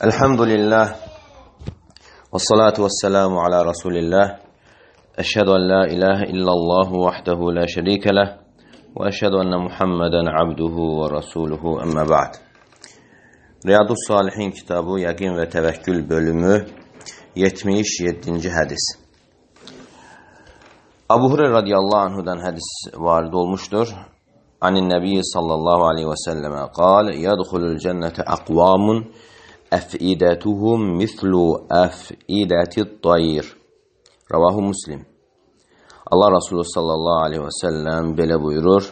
Elhamdülillah ve salatu ve selamu ala Resulillah. Eşhedü en la ilahe illallah vahdehu la şerike leh ve eşhedü enne Muhammeden abduhu ve rasuluhu emme ba'd. Riyadus-Salihin kitabı Yaqin ve Tevekkül bölümü 77. hadis. Abu Hureyre radıyallahu anhudan hadis varid olmuştur. Anin Nebi sallallahu aleyhi ve selleme kal, yadkhulul cennete akvamun ef'idetuhum mislu ef'idetit tayr. Ravahu Muslim. Allah Resulü sallallahu aleyhi ve sellem belə buyurur: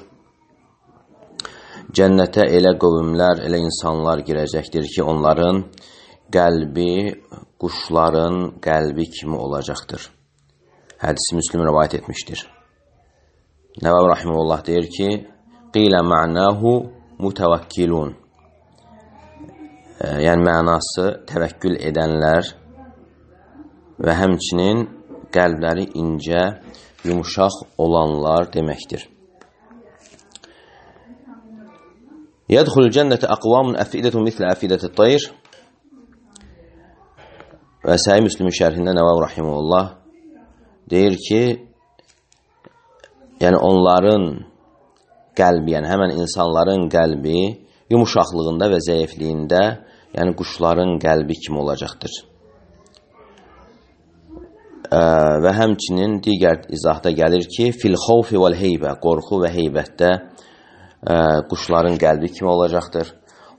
Cənnətə elə qövmlər, elə insanlar girəcəkdir ki, onların qəlbi quşların qəlbi kimi olacaqdır. Hədisi Müslim rivayet etmişdir. Nəvavi rahimehullah deyir ki, qilə ma'nahu mutavakkilun. Yəni mənası təvəkkül edənlər və həmçinin qəlbləri incə, yumuşaq olanlar deməkdir. Yədxulul cənnətə aqvamun əfidətun mislə əfidətit tayr. Və Səhih Müslimin şərhində Nəvavi rahimehullah deyir ki, yəni onların qəlbi, yəni həmən insanların qəlbi yumuşaqlığında və zəifliyində, yəni quşların qəlbi kimi olacaqdır. Və həmçinin digər izahda gəlir ki, fil xawfi vəl heybə, qorxu və heybətdə quşların qəlbi kimi olacaqdır.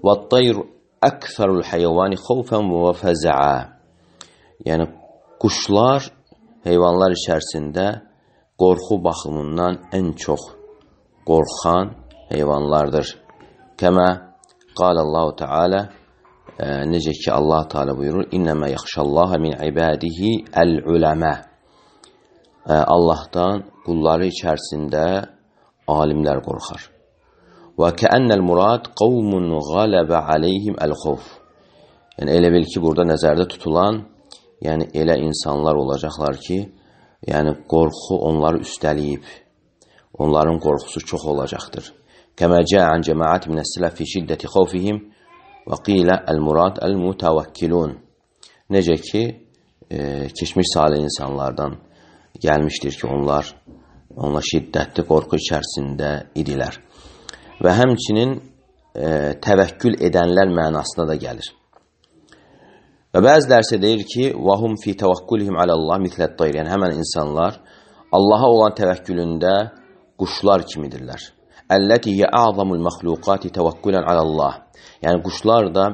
Və tayr əksərul heyvani xawfən və fəzəə. Yəni quşlar heyvanlar içərisində qorxu baxımından ən çox qorxan heyvanlardır. Kəmə qalallahu Teala, necə ki Allah Teala buyurur, İnnəmə yaxşallaha min ibadihi əl-uləmə. Allahdan qulları içərisində alimlər qorxar. Və kəənnəl murad qavmun qaləbə aleyhim əl-xovf. Yəni elə bil ki, burada nəzərdə tutulan, yəni elə insanlar olacaqlar ki, yəni qorxu onları üstəliyib, onların qorxusu çox olacaqdır. Kəmə cəən cəmaət minəs-sələf fi şiddəti xawfihim və qilə əl-murad əl-mutavakkilun. Necə ki, keçmiş salih insanlardan gəlmişdir ki, onlar şiddətli qorxu içərisində idilər. Və həmçinin təvəkkül edənlər mənasına da gəlir. Və bəziləri isə deyir ki, وَهُمْ فِي تَوَكُّلِهِمْ عَلَى اللّٰهِ مِثْلَ الطَّيْرِ. Yəni həmən insanlar Allaha olan təvəkkülündə quşlar kimidirlər. Əlləti hiyə a'zamul məxluqati təvəkkülən alallah. Yəni quşlar da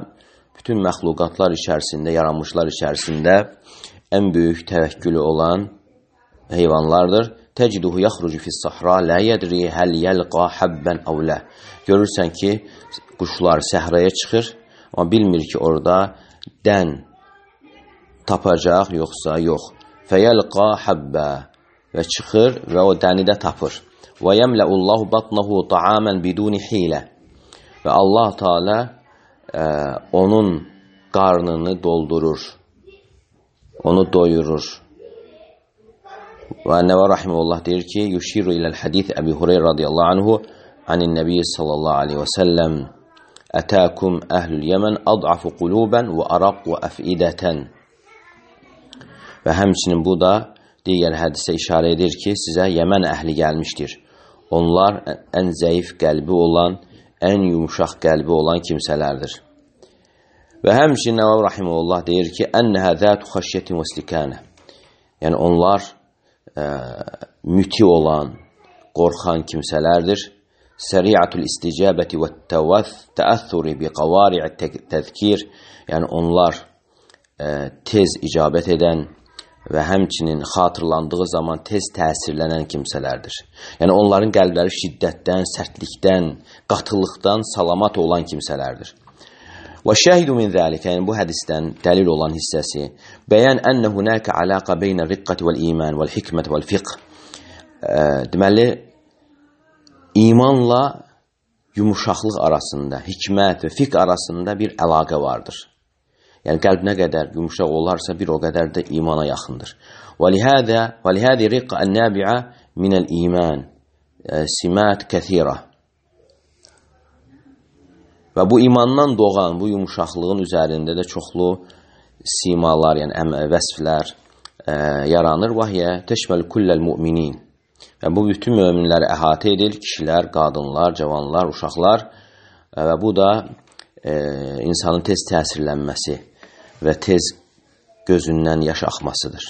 bütün məxluqatlar içərisində, yaranmışlar içərisində ən böyük təvəkkülü olan heyvanlardır. Təciduhu yaxrucu fis-sahra la yadri hal yalqa habban aw la. Görürsən ki, quşlar səhraya çıxır, amma bilmir ki, orada dən tapacaq yoxsa yox. Fəyalqa habba və çıxır və o dəni də tapır. Və yəmləullahu batnahu ta'aman biduni hilə. Və Allah Teala onun qarnını doldurur, onu doyurur. Və Nəvavi rahimehullah deyir ki, yuşiru iləl hadith Əbi Hureyre radiyallahu anhu anin Nəbi sallallahu aleyhi və səlləm ətəkum əhlül yəmən ad'afu quluban və araqu əfidətən. Və həmçinin bu da digər hədisə işarə edir ki, sizə Yəmən əhli gəlmişdir. Onlar ən zəif qəlbi olan, ən yumuşaq qəlbi olan kimsələrdir. Və həmçinin Nəvavi rahimehullah deyir ki, ennəhə zətu xəşyətin və istikənə. Yəni onlar müti olan, qorxan kimsələrdir. Səri'atul isticabəti və təəthuri bi qavari'i təzkir. Yəni onlar tez icabət edən və həmçinin xatırlandığı zaman tez təsirlənən kimsələrdir. Yəni onların qəlbləri şiddətdən, sərtlikdən, qatılıqdan salamat olan kimsələrdir. Və şəhidu min zəlikə, yəni bu hədisdən dəlil olan hissəsi, bəyən ənə hunəkə aləqə beynə riqqəti vəl-iman vəl-hikmət vəl-fiqh. Deməli, imanla yumuşaqlıq arasında, hikmət və fiqh arasında bir əlaqə vardır. Yəni qəlb nə qədər yumuşaq olarsa, bir o qədər də imana yaxındır. وَلِهَذِي رِقَّ النَّابِعَ مِنَ الْإِيمَانِ سِمَاتِ كَثِيرَةِ. Və bu imandan doğan bu yumuşaqlığın üzərində də çoxlu simalar, yəni vəsflər yaranır. Vahiyyə təşməl kulləl müminin. Və bu bütün möminləri əhatə edir, kişilər, qadınlar, cavanlar, uşaqlar. Və bu da insanın tez təsirlənməsi və tez gözündən yaş axmasıdır.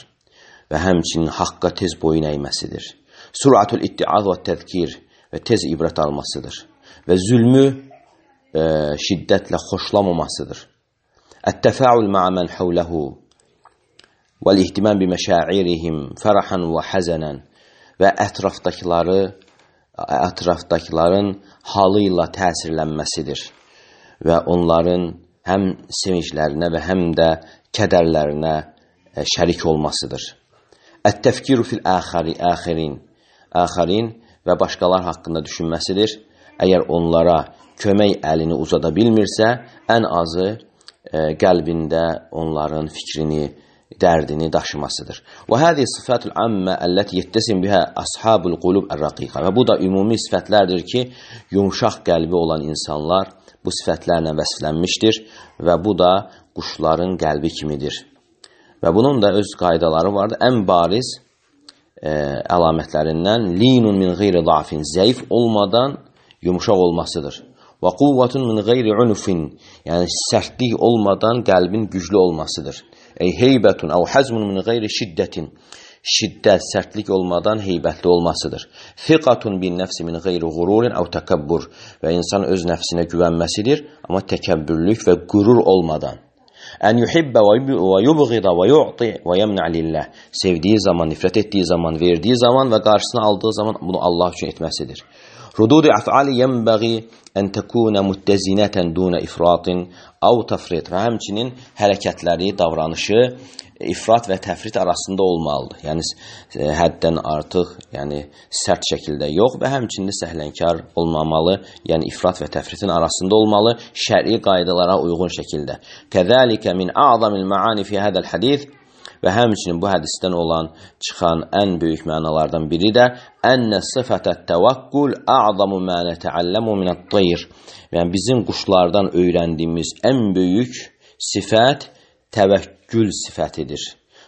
Və həmçinin haqqa tez boyun əyməsidir. Suratul ittiaz və təzkir və tez ibrət almasıdır. Və zülmü şiddətlə xoşlamamasıdır. Ət-təfəül ma'a men havlehu vəl-ihtimam bi məşairihim fərhan və həzənən və ətrafdakıların halı ilə təsirlənməsidir və onların həm sevinclərinə və həm də kədərlərinə şərik olmasıdır. Ət-təfkiru fil əxirin və başqalar haqqında düşünməsidir. Əgər onlara kömək əlini uzada bilmirsə, ən azı qəlbində onların fikrini, dərdini daşımasıdır. Və həzi sifatul ammə əlləti yettəsim bihə ashabul qulub ər-raqiqa. Və bu da ümumi sifətlərdir ki, yumşaq qəlbi olan insanlar bu sifətlərlə vəsflənmişdir və bu da quşların qəlbi kimidir. Və bunun da öz qaydaları vardır. Ən bariz əlamətlərindən linun min qeyri da'fin, zəif olmadan yumşaq olmasıdır. Və quvvatun min qeyri unufin, yəni sərtlik olmadan qəlbin güclü olmasıdır. Heybətun əv həzmun min qeyri şiddətin, şiddət, sərtlik olmadan heybətli olmasıdır. Fiqatun bin nəfsi min qeyri qururin əv təkəbbür, və insan öz nəfsinə güvənməsidir, amma təkəbbürlük və qürur olmadan. Ən yuhibbə və yubğida və yu'ti və yemnə lillah, sevdiyi zaman, nifrət etdiyi zaman, verdiyi zaman və qarşısına aldığı zaman bunu Allah üçün etməsidir. Rududu əf'ali yənbəği ən təkunə müttəzinətən dunə ifratin av təfrit, və həmçinin hərəkətləri, davranışı ifrat və təfrit arasında olmalıdır. Yəni həddən artıq, yəni sərt şəkildə yox və həmçinin səhlənkar olmamalı, yəni ifrat və təfritin arasında olmalı, şəri qaydalara uyğun şəkildə. Kəzəlikə min a'zamil maani fi hədəl hədis, və həmçinin bu hədisdən olan çıxan ən böyük mənalardan biri də ənnə sıfətət təvəkkül a'zamu mə nətəalləmu minət-tayr. Yəni bizim quşlardan öyrəndiyimiz ən böyük sifət təvəkkül sifətidir.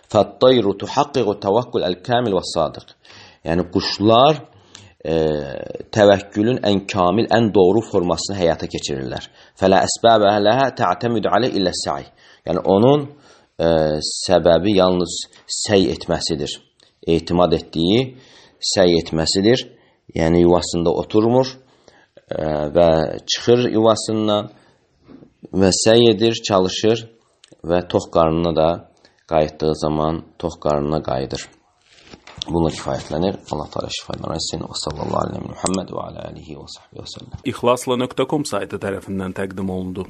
Fət-tayru tuhaqqiqu təvəkkül əl-kamil və sadiq. Yəni quşlar təvəkkülün ən kamil, ən doğru formasını həyata keçirirlər. Fələ əsbəbə ləhə tə'təmidu alə illə sə'i. Yəni onun səbəbi yalnız səy etməsidir. Etimad etdiyi səy etməsidir. Yəni yuvasında oturmur və çıxır yuvasından və səy edir, çalışır və tox qarnına da qayıtdığı zaman tox qarnına qayıdır. Bununla kifayətlənir. Allah Teala şifalar versin. Və sallallahu aleyhi və Muhammed və alə alihi və sahbihi və səlləm. İxlasla.com saytı tərəfindən təqdim olundu.